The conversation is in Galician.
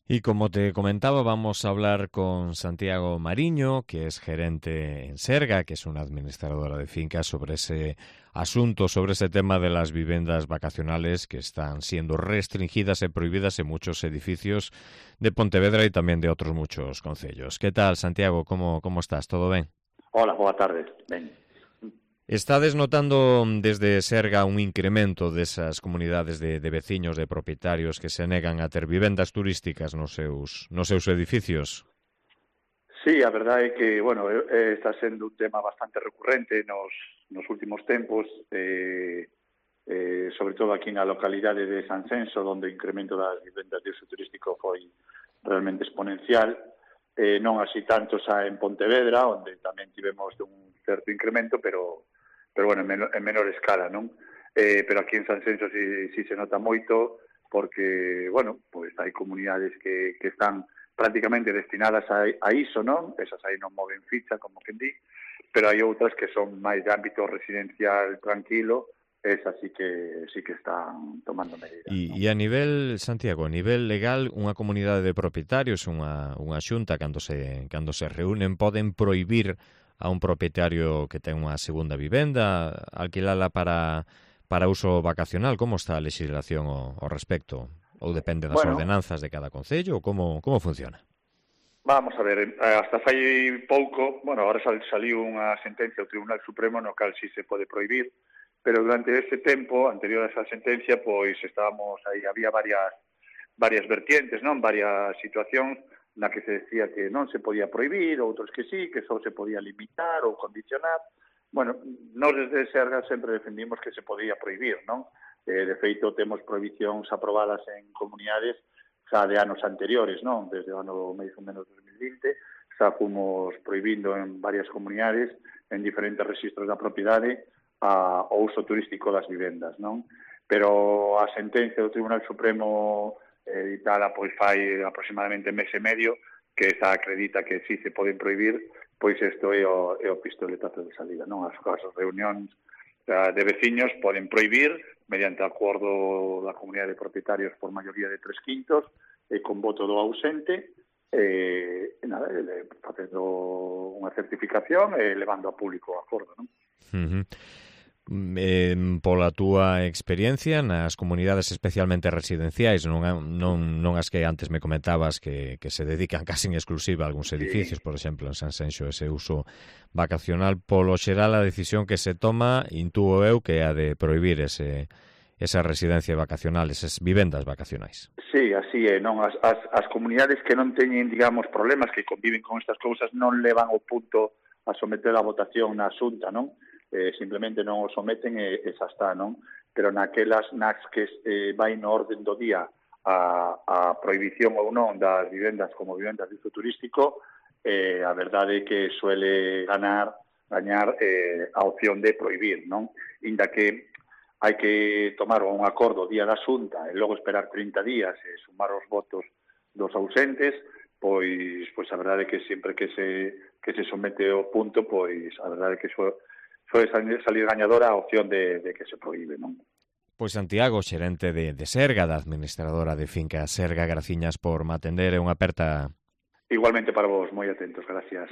Y como te comentaba, vamos a hablar con Santiago Mariño, que es gerente en Serga, que es una administradora de fincas, sobre ese asunto, sobre ese tema de las vivendas vacacionales que están siendo restringidas y prohibidas en muchos edificios de Pontevedra y también de otros muchos concellos. ¿Qué tal, Santiago? ¿Cómo estás? ¿Todo bien? Hola, boa tarde. Ben. ¿Estades notando desde Serga un incremento desas comunidades de veciños, de propietarios que se negan a ter vivendas turísticas nos seus edificios? Sí, a verdade é que, bueno, está sendo un tema bastante recurrente nos últimos tempos, sobre todo aquí na localidade de Sanxenxo, onde o incremento das vivendas de uso turístico foi realmente exponencial, non así tanto xa en Pontevedra, onde tamén tivemos un certo incremento, pero bueno, en menor escala, non? Pero aquí en Sanxenxo sí se nota moito, porque, bueno, pues hai comunidades que están prácticamente destinadas a iso, non? Esas aí non moven ficha, como quen di, pero hai outras que son máis de ámbito residencial tranquilo, esas sí que están tomando medidas, non? E a nivel, Santiago, a nivel legal, unha comunidade de propietarios, unha xunta, cando se reúnen, poden prohibir a un propietario que ten unha segunda vivenda, alquilala para uso vacacional. Como está a legislación ao respecto? Ou depende das Bueno, ordenanzas de cada concello? Como funciona? vamos a ver, hasta fai pouco, bueno, agora saliu unha sentencia do Tribunal Supremo no cal si se pode prohibir, pero durante ese tempo, anterior a esa sentencia, pois estábamos aí, había varias vertientes, non? Varias situacións na que se decía que non se podía prohibir, outros que sí, que só se podía limitar ou condicionar. Bueno, nós desde Serga sempre defendimos que se podía prohibir, non? De feito, temos prohibicións aprobadas en comunidades xa de anos anteriores, non? Desde o ano máis ou menos 2020, xa fomos prohibindo en varias comunidades, en diferentes registros da propiedade, o uso turístico das vivendas, non? Pero a sentencia do Tribunal Supremo editada pois fai aproximadamente mes e medio, que esa acredita que sí se poden prohibir, pois isto é o pistoletazo de salida, non? As reunións de veciños poden prohibir mediante acordo da comunidade de propietarios por maioría de 3/5 e con voto do ausente, nada, facendo unha certificación e levando a público o acordo, non? Uh-huh. Pola túa experiencia nas comunidades especialmente residenciais, non as que antes me comentabas que se dedican casi en exclusiva a algúns edificios, por exemplo, en Sanxenxo, ese uso vacacional, polo xeral a decisión que se toma, intúo eu, que é a de prohibir esa residencia vacacional, esas vivendas vacacionais. Sí, así é, non? As comunidades que non teñen, digamos, problemas, que conviven con estas cousas, non levan o punto a someter a votación na Xunta, non? Simplemente non o someten e xa está, non? Pero naquelas nas que vai no orden do día a prohibición ou non das vivendas como vivendas de uso turístico, a verdade é que suele gañar a opción de prohibir, non? Inda que hai que tomar un acordo o día da Xunta e logo esperar 30 días e sumar os votos dos ausentes, pois a verdade é que sempre que se somete o punto, pois a verdade é que suele salir gañadora a opción de que se prohíbe, non? Pois Santiago, xerente de Serga, da administradora de finca Serga, graciñas por me atender, é unha aperta. Igualmente para vos, moi atentos, gracias.